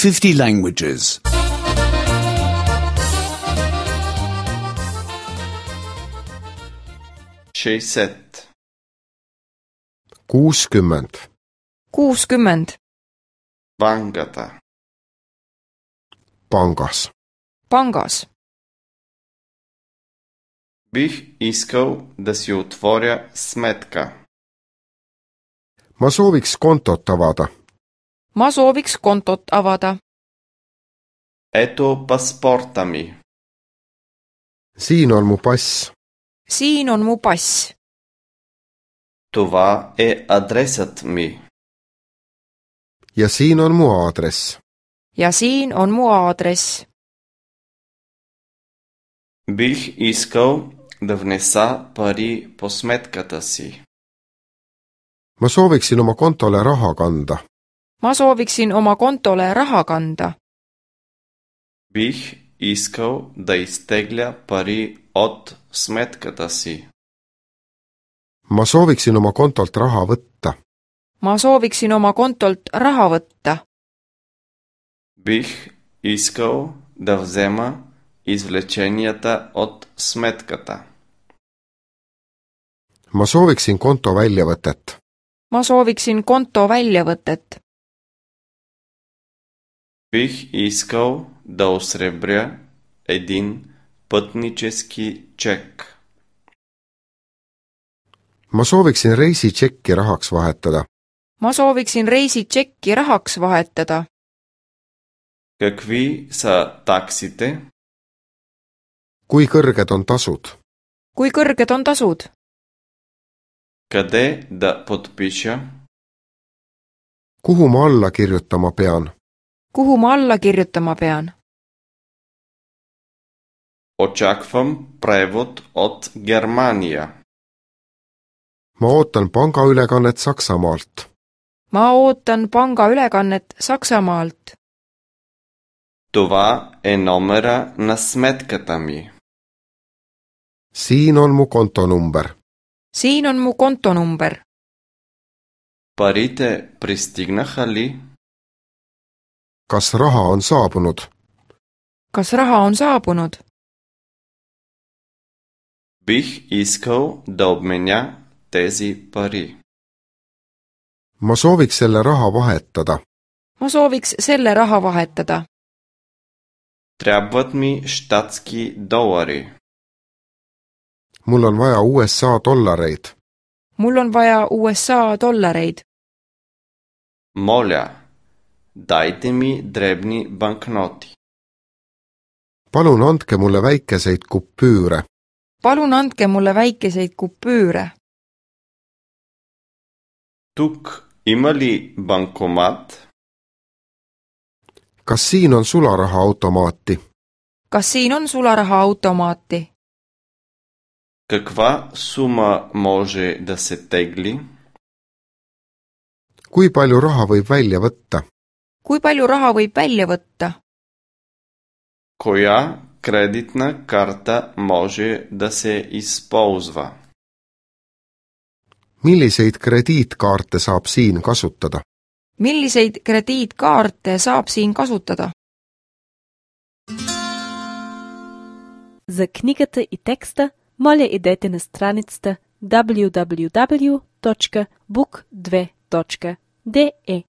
50 languages. 60. 60. 60. Bankата. Pangas. Pangas. Бих искал да си отворя сметка. Ma sooviks kontot avada. Ma sooviks kontot avada. Ето паспорта ми. Siin on mu pass. Siin on mu pass. Това е адресът ми. Ja siin on mu aadress. Ja siin on mu aadress. Бих искал да внеса пари по сметката си. Ma sooviksin oma kontole raha kanda. Ma sooviksin oma kontole raha kanda. Бих искал да изтегля пари от сметката си. Ma sooviksin oma kontolt raha võtta. Ma sooviksin oma kontolt raha võtta. Бих искал да взема извлеченията от сметката. Ma sooviksin konto väljavõtet. Ma sooviksin konto väljavõtet. Бих искал да осребря един пътнически чек. Ma sooviksin reisitšekki rahaks vahetada. Ma sooviksin reisitšekki rahaks vahetada. Какви са таксите? Kui kõrged on tasud? Kui kõrged on tasud? Къде да подпиша? Kuhu ma alla kirjutama pean? Kuhu ma alla kirjutama pean? Очаквам превод от Германия. Ma ootan pangaülekannet Saksamaalt. Ma ootan pangaülekannet Saksamaalt. Това е номера на сметката ми. Siin on mu kontonumber. Siin on mu kontonumber. Парите пристигнаха ли? Kas raha on saabunud? Kas raha on saabunud? Бих искал да обменя тези пари. Ma sooviks selle raha vahetada. Ma sooviks selle raha vahetada. Трябват ми щатски долари. Mul on vaja USA dollareid. Mul on vaja USA dollareid. Моля, дайте ми дребни банкноти. Palun andke mulle väikeseid kupüüre. Palun andke mulle väikeseid kupüüre. Тук има ли банкомат? Kas siin on sularahaautomaati? Kas siin on sularahaautomaati? Каква сума може да се тегли? Kui palju raha võib välja võtta? Kui palju raha võib välja võtta? Коя кредитна карта може да се използва? Milliseid krediitkaarte saab siin kasutada? Milliseid krediitkaarte saab siin kasutada? За книгата и текста моля идете на страницата www.book2.de